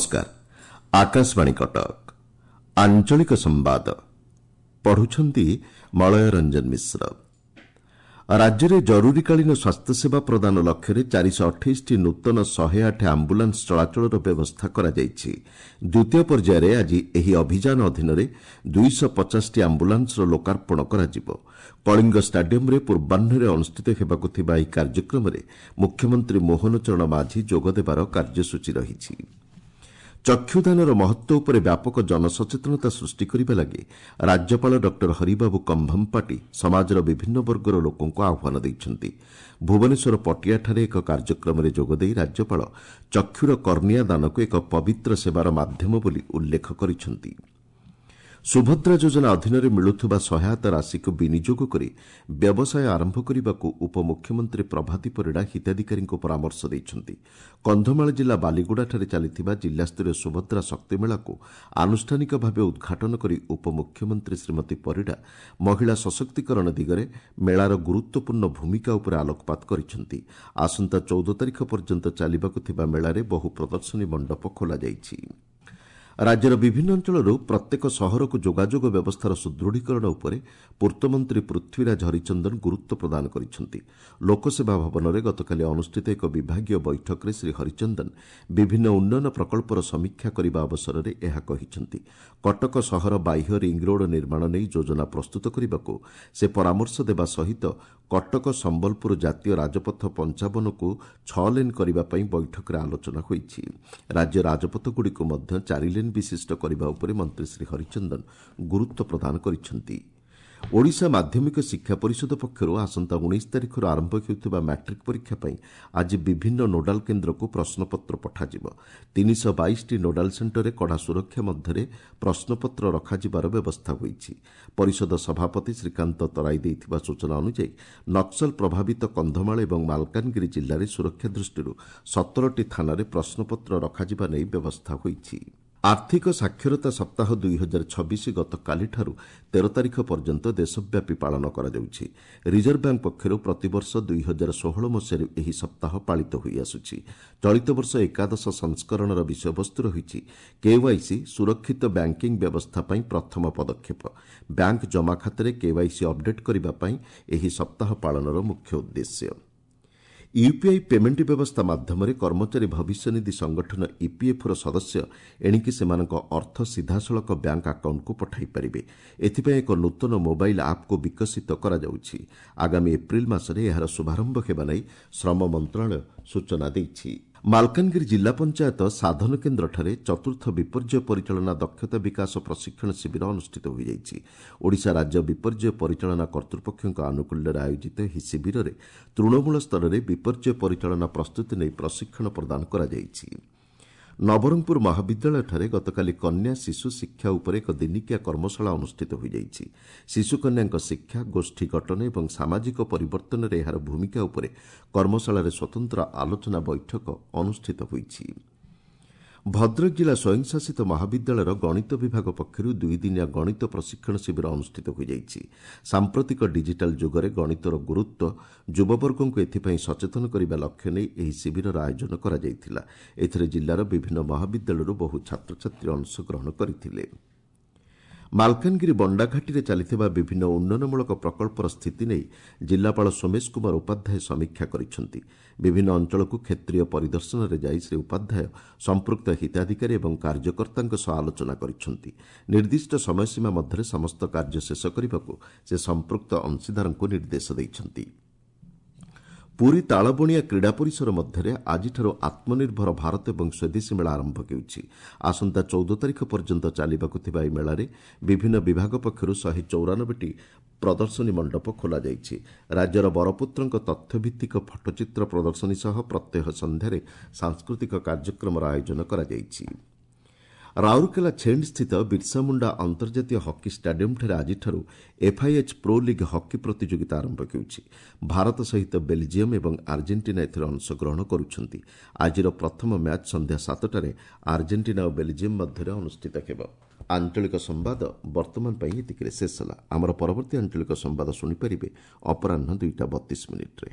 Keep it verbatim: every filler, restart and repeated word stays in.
ନମସ୍କାର ଆକାଶବାଣୀ କଟକ ଆଞ୍ଚଳିକ ସମ୍ବାଦ ପଢୁଛନ୍ତି ମଳୟ ରଞ୍ଜନ ମିଶ୍ର ରାଜ୍ୟରେ ଜରୁରୀକାଳୀନ ସ୍ୱାସ୍ଥ୍ୟସେବା ପ୍ରଦାନ ଲକ୍ଷ୍ୟରେ ଚାରିଶହ ଅଠେଇଶଟି ନୂତନ ଶହେ ଆଠ ଆମ୍ବୁଲାନ୍ସ ଚଳାଚଳର ବ୍ୟବସ୍ଥା କରାଯାଇଛି ଦ୍ୱିତୀୟ ପର୍ଯ୍ୟାୟରେ ଆଜି ଏହି ଅଭିଯାନ ଅଧୀନରେ ଦୁଇଶହ ପଚାଶଟି ଆମ୍ବୁଲାନ୍ସର ଲୋକାର୍ପଣ କରାଯିବ କଳିଙ୍ଗ ଷ୍ଟାଡିୟମ୍ରେ ପୂର୍ବାହ୍ନରେ ଅନୁଷ୍ଠିତ ହେବାକୁ ଥିବା ଏହି କାର୍ଯ୍ୟକ୍ରମରେ ମୁଖ୍ୟମନ୍ତ୍ରୀ ମୋହନ ଚରଣ ମାଝୀ ଯୋଗଦେବାର କାର୍ଯ୍ୟସୂଚୀ ରହିଛି ଚକ୍ଷୁଦାନର ମହତ୍ୱ ଉପରେ ବ୍ୟାପକ ଜନସଚେତନତା ସୃଷ୍ଟି କରିବା ଲାଗି ରାଜ୍ୟପାଳ ଡକ୍ଟର ହରିବାବୁ କମ୍ଭମପାଟି ସମାଜର ବିଭିନ୍ନ ବର୍ଗର ଲୋକଙ୍କୁ ଆହ୍ୱାନ ଦେଇଛନ୍ତି ଭୁବନେଶ୍ୱର ପଟିଆଠାରେ ଏକ କାର୍ଯ୍ୟକ୍ରମରେ ଯୋଗଦେଇ ରାଜ୍ୟପାଳ ଚକ୍ଷୁର କର୍ଣ୍ଣିଆ ଦାନକୁ ଏକ ପବିତ୍ର ସେବାର ମାଧ୍ୟମ ବୋଲି ଉଲ୍ଲେଖ କରିଛନ୍ତି ସୁଭଦ୍ରା ଯୋଜନା ଅଧୀନରେ ମିଳୁଥିବା ସହାୟତା ରାଶିକୁ ବିନିଯୋଗ କରି ବ୍ୟବସାୟ ଆରମ୍ଭ କରିବାକୁ ଉପମୁଖ୍ୟମନ୍ତ୍ରୀ ପ୍ରଭାତୀ ପରିଡ଼ା ହିତାଧିକାରୀଙ୍କୁ ପରାମର୍ଶ ଦେଇଛନ୍ତି କନ୍ଧମାଳ ଜିଲ୍ଲା ବାଲିଗୁଡ଼ାଠାରେ ଚାଲିଥିବା ଜିଲ୍ଲାସ୍ତରୀୟ ସୁଭଦ୍ରା ଶକ୍ତିମେଳାକୁ ଆନୁଷ୍ଠାନିକ ଭାବେ ଉଦ୍ଘାଟନ କରି ଉପମୁଖ୍ୟମନ୍ତ୍ରୀ ଶ୍ରୀମତୀ ପରିଡ଼ା ମହିଳା ସଶକ୍ତିକରଣ ଦିଗରେ ମେଳାର ଗୁରୁତ୍ୱପୂର୍ଣ୍ଣ ଭୂମିକା ଉପରେ ଆଲୋକପାତ କରିଛନ୍ତି ଆସନ୍ତା ଚଉଦ ତାରିଖ ପର୍ଯ୍ୟନ୍ତ ଚାଲିବାକୁ ଥିବା ମେଳାରେ ବହୁ ପ୍ରଦର୍ଶନୀ ମଣ୍ଡପ ଖୋଲାଯାଇଛି ରାଜ୍ୟର ବିଭିନ୍ନ ଅଞ୍ଚଳରୁ ପ୍ରତ୍ୟେକ ସହରକୁ ଯୋଗାଯୋଗ ବ୍ୟବସ୍ଥାର ସୁଦୃଢ଼ୀକରଣ ଉପରେ ପୂର୍ତ୍ତମନ୍ତ୍ରୀ ପୃଥ୍ୱୀରାଜ ହରିଚନ୍ଦନ ଗୁରୁତ୍ୱ ପ୍ରଦାନ କରିଛନ୍ତି ଲୋକସେବା ଭବନରେ ଗତକାଲି ଅନୁଷ୍ଠିତ ଏକ ବିଭାଗୀୟ ବୈଠକରେ ଶ୍ରୀ ହରିଚନ୍ଦନ ବିଭିନ୍ନ ଉନ୍ନୟନ ପ୍ରକଳ୍ପର ସମୀକ୍ଷା କରିବା ଅବସରରେ ଏହା କହିଛନ୍ତି କଟକ ସହର ବାହ୍ୟ ରିଙ୍ଗରୋଡ୍ ନିର୍ମାଣ ନେଇ ଯୋଜନା ପ୍ରସ୍ତୁତ କରିବାକୁ ସେ ପରାମର୍ଶ ଦେବା ସହିତ କଟକ ସମ୍ବଲପୁର ଜାତୀୟ ରାଜପଥ ପଞ୍ଚାବନକୁ ଛଅ ଲେନ୍ କରିବା ପାଇଁ ବୈଠକରେ ଆଲୋଚନା ହୋଇଛି ରାଜ୍ୟ ରାଜପଥଗୁଡ଼ିକୁ ମଧ୍ୟ ଚାରି ଲେନ୍ ବିଶିଷ୍ଟ କରିବା ଉପରେ ମନ୍ତ୍ରୀ ଶ୍ରୀ ହରିଚନ୍ଦନ ଗୁରୁତ୍ୱ ପ୍ରଦାନ କରିଛନ୍ତି ଓଡ଼ିଶା ମାଧ୍ୟମିକ ଶିକ୍ଷା ପରିଷଦ ପକ୍ଷରୁ ଆସନ୍ତା ଉଣେଇଶ ତାରିଖରୁ ଆରମ୍ଭ ହେଉଥିବା ମ୍ୟାଟ୍ରିକ୍ ପରୀକ୍ଷା ପାଇଁ ଆଜି ବିଭିନ୍ନ ନୋଡାଲ କେନ୍ଦ୍ରକୁ ପ୍ରଶ୍ନପତ୍ର ପଠାଯିବ ତିନିଶହ ବାଇଶଟି ନୋଡାଲ ସେଣ୍ଟରରେ କଡ଼ା ସୁରକ୍ଷା ମଧ୍ୟରେ ପ୍ରଶ୍ନପତ୍ର ରଖାଯିବାର ବ୍ୟବସ୍ଥା ହୋଇଛି ପରିଷଦ ସଭାପତି ଶ୍ରୀକାନ୍ତ ତରାଇ ଦେଇଥିବା ସୂଚନା ଅନୁଯାୟୀ ନକ୍ସଲ ପ୍ରଭାବିତ କନ୍ଧମାଳ ଏବଂ ମାଲକାନଗିରି ଜିଲ୍ଲାରେ ସୁରକ୍ଷା ଦୃଷ୍ଟିରୁ ସତରଟି ଥାନାରେ ପ୍ରଶ୍ନପତ୍ର ରଖାଯିବା ନେଇ ବ୍ୟବସ୍ଥା ହୋଇଛି ଆର୍ଥିକ ସାକ୍ଷରତା ସପ୍ତାହ ଦୁଇ ହଜାର ଛବିଶ ଗତକାଲିଠାରୁ ତେର ତାରିଖ ପର୍ଯ୍ୟନ୍ତ ଦେଶବ୍ୟାପୀ ପାଳନ କରାଯାଉଛି ରିଜର୍ଭ ବ୍ୟାଙ୍କ ପକ୍ଷରୁ ପ୍ରତିବର୍ଷ ଦୁଇ ହଜାର ଷୋହଳ ମସିହାରୁ ଏହି ସପ୍ତାହ ପାଳିତ ହୋଇଆସୁଛି ଚଳିତ ବର୍ଷ ଏକାଦଶ ସଂସ୍କରଣର ବିଷୟବସ୍ତୁ ରହିଛି କେୱାଇସି ସୁରକ୍ଷିତ ବ୍ୟାଙ୍କିଂ ବ୍ୟବସ୍ଥା ପାଇଁ ପ୍ରଥମ ପଦକ୍ଷେପ ବ୍ୟାଙ୍କ ଜମାଖାତାରେ କେୱାଇସି ଅପଡେଟ୍ କରିବା ପାଇଁ ଏହି ସପ୍ତାହ ପାଳନର ମୁଖ୍ୟ ଉଦ୍ଦେଶ୍ୟ ୟୁପିଆଇ ପେମେଣ୍ଟ ବ୍ୟବସ୍ଥା ମାଧ୍ୟମରେ କର୍ମଚାରୀ ଭବିଷ୍ୟନିଧି ସଂଗଠନ ଇପିଏଫ୍ଓର ସଦସ୍ୟ ଏଣିକି ସେମାନଙ୍କ ଅର୍ଥ ସିଧାସଳଖ ବ୍ୟାଙ୍କ ଆକାଉଣ୍ଟକୁ ପଠାଇ ପାରିବେ ଏଥିପାଇଁ ଏକ ନୂତନ ମୋବାଇଲ୍ ଆପ୍କୁ ବିକଶିତ କରାଯାଉଛି ଆଗାମୀ ଏପ୍ରିଲ ମାସରେ ଏହାର ଶୁଭାରମ୍ଭ ହେବା ନେଇ ଶ୍ରମ ମନ୍ତ୍ରଣାଳୟ ସୂଚନା ଦେଇଛି ମାଲକାନଗିରି ଜିଲ୍ଲା ପଞ୍ଚାୟତ ସାଧନ କେନ୍ଦ୍ରଠାରେ ଚତୁର୍ଥ ବିପର୍ଯ୍ୟୟ ପରିଚାଳନା ଦକ୍ଷତା ବିକାଶ ପ୍ରଶିକ୍ଷଣ ଶିବିର ଅନୁଷ୍ଠିତ ହୋଇଯାଇଛି ଓଡ଼ିଶା ରାଜ୍ୟ ବିପର୍ଯ୍ୟୟ ପରିଚାଳନା କର୍ତ୍ତୃପକ୍ଷଙ୍କ ଆନୁକୂଲ୍ୟରେ ଆୟୋଜିତ ଏହି ଶିବିରରେ ତୃଣମୂଳ ସ୍ତରରେ ବିପର୍ଯ୍ୟୟ ପରିଚାଳନା ପ୍ରସ୍ତୁତି ନେଇ ପ୍ରଶିକ୍ଷଣ ପ୍ରଦାନ କରାଯାଇଛି ନବରଙ୍ଗପୁର ମହାବିଦ୍ୟାଳୟଠାରେ ଗତକାଲି କନ୍ୟା ଶିଶୁ ଶିକ୍ଷା ଉପରେ ଏକ ଦିନିକିଆ କର୍ମଶାଳା ଅନୁଷ୍ଠିତ ହୋଇଯାଇଛି ଶିଶୁକନ୍ୟାଙ୍କ ଶିକ୍ଷା ଗୋଷ୍ଠୀ ଗଠନ ଏବଂ ସାମାଜିକ ପରିବର୍ତ୍ତନରେ ଏହାର ଭୂମିକା ଉପରେ କର୍ମଶାଳାରେ ସ୍ୱତନ୍ତ୍ର ଆଲୋଚନା ବୈଠକ ଅନୁଷ୍ଠିତ ହୋଇଛି ଭଦ୍ରକ ଜିଲ୍ଲା ସ୍ୱୟଂଶାସିତ ମହାବିଦ୍ୟାଳୟର ଗଣିତ ବିଭାଗ ପକ୍ଷରୁ ଦୁଇଦିନିଆ ଗଣିତ ପ୍ରଶିକ୍ଷଣ ଶିବିର ଅନୁଷ୍ଠିତ ହୋଇଯାଇଛି ସାମ୍ପ୍ରତିକ ଡିଜିଟାଲ ଯୁଗରେ ଗଣିତର ଗୁରୁତ୍ୱ ଯୁବବର୍ଗଙ୍କୁ ଏଥିପାଇଁ ସଚେତନ କରିବା ଲକ୍ଷ୍ୟ ନେଇ ଏହି ଶିବିରର ଆୟୋଜନ କରାଯାଇଥିଲା ଏଥିରେ ଜିଲ୍ଲାର ବିଭିନ୍ନ ମହାବିଦ୍ୟାଳୟରୁ ବହୁ ଛାତ୍ରଛାତ୍ରୀ ଅଂଶଗ୍ରହଣ କରିଥିଲେ ମାଲକାନଗିରି ବଣ୍ଡାଘାଟିରେ ଚାଲିଥିବା ବିଭିନ୍ନ ଉନ୍ନୟନମୂଳକ ପ୍ରକଳ୍ପର ସ୍ଥିତି ନେଇ ଜିଲ୍ଲାପାଳ ସୋମେଶ କୁମାର ଉପାଧ୍ୟାୟ ସମୀକ୍ଷା କରିଛନ୍ତି ବିଭିନ୍ନ ଅଞ୍ଚଳକୁ କ୍ଷେତ୍ରୀୟ ପରିଦର୍ଶନରେ ଯାଇ ଶ୍ରୀ ଉପାଧ୍ୟାୟ ସମ୍ପୃକ୍ତ ହିତାଧିକାରୀ ଏବଂ କାର୍ଯ୍ୟକର୍ତ୍ତାଙ୍କ ସହ ଆଲୋଚନା କରିଛନ୍ତି ନିର୍ଦ୍ଦିଷ୍ଟ ସମୟସୀମା ମଧ୍ୟରେ ସମସ୍ତ କାର୍ଯ୍ୟ ଶେଷ କରିବାକୁ ସେ ସମ୍ପୃକ୍ତ ଅଂଶୀଦାରଙ୍କୁ ନିର୍ଦ୍ଦେଶ ଦେଇଛନ୍ତି ପୁରୀ ତାଳବଣିଆ କ୍ରୀଡ଼ା ପରିସର ମଧ୍ୟରେ ଆଜିଠାରୁ ଆତ୍ମନିର୍ଭର ଭାରତ ଏବଂ ସ୍ୱଦେଶୀ ମେଳା ଆରମ୍ଭ ହେଉଛି ଆସନ୍ତା ଚଉଦ ତାରିଖ ପର୍ଯ୍ୟନ୍ତ ଚାଲିବାକୁ ଥିବା ଏହି ମେଳାରେ ବିଭିନ୍ନ ବିଭାଗ ପକ୍ଷରୁ ଶହେ ଚଉରାନବେଟି ପ୍ରଦର୍ଶନୀ ମଣ୍ଡପ ଖୋଲାଯାଇଛି ରାଜ୍ୟର ବରପୁତ୍ରଙ୍କ ତଥ୍ୟଭିତ୍ତିକ ଫଟୋଚିତ୍ର ପ୍ରଦର୍ଶନୀ ସହ ପ୍ରତ୍ୟହ ସନ୍ଧ୍ୟାରେ ସାଂସ୍କୃତିକ କାର୍ଯ୍ୟକ୍ରମର ଆୟୋଜନ କରାଯାଇଛି ରାଉରକେଲା ଛେଣ୍ଡସ୍ଥିତ ବିର୍ସାମୁଣ୍ଡା ଅନ୍ତର୍ଜାତୀୟ ହକି ଷ୍ଟାଡିୟମ୍ଠାରେ ଆଜିଠାରୁ ଏଫ୍ଆଇଏଚ୍ ପ୍ରୋ ଲିଗ୍ ହକି ପ୍ରତିଯୋଗିତା ଆରମ୍ଭ ହେଉଛି ଭାରତ ସହିତ ବେଲ୍ଜିୟମ୍ ଏବଂ ଆର୍ଜେଣ୍ଟିନା ଏଥିରେ ଅଂଶଗ୍ରହଣ କରୁଛନ୍ତି ଆଜିର ପ୍ରଥମ ମ୍ୟାଚ୍ ସନ୍ଧ୍ୟା ସାତଟାରେ ଆର୍ଜେଣ୍ଟିନା ଓ ବେଲ୍ଜିୟମ୍ ମଧ୍ୟରେ ଅନୁଷ୍ଠିତ ହେବ ଆଞ୍ଚଳିକ ସମ୍ବାଦ ବର୍ତ୍ତମାନ ପାଇଁ ଏତିକିରେ ଶେଷ ହେଲା ଆମର ପରବର୍ତ୍ତୀ ଆଞ୍ଚଳିକ ସମ୍ବାଦ ଶୁଣିପାରିବେ ଅପରାହ୍ନ ଦୁଇଟା ବତିଶ ମିନିଟ୍ରେ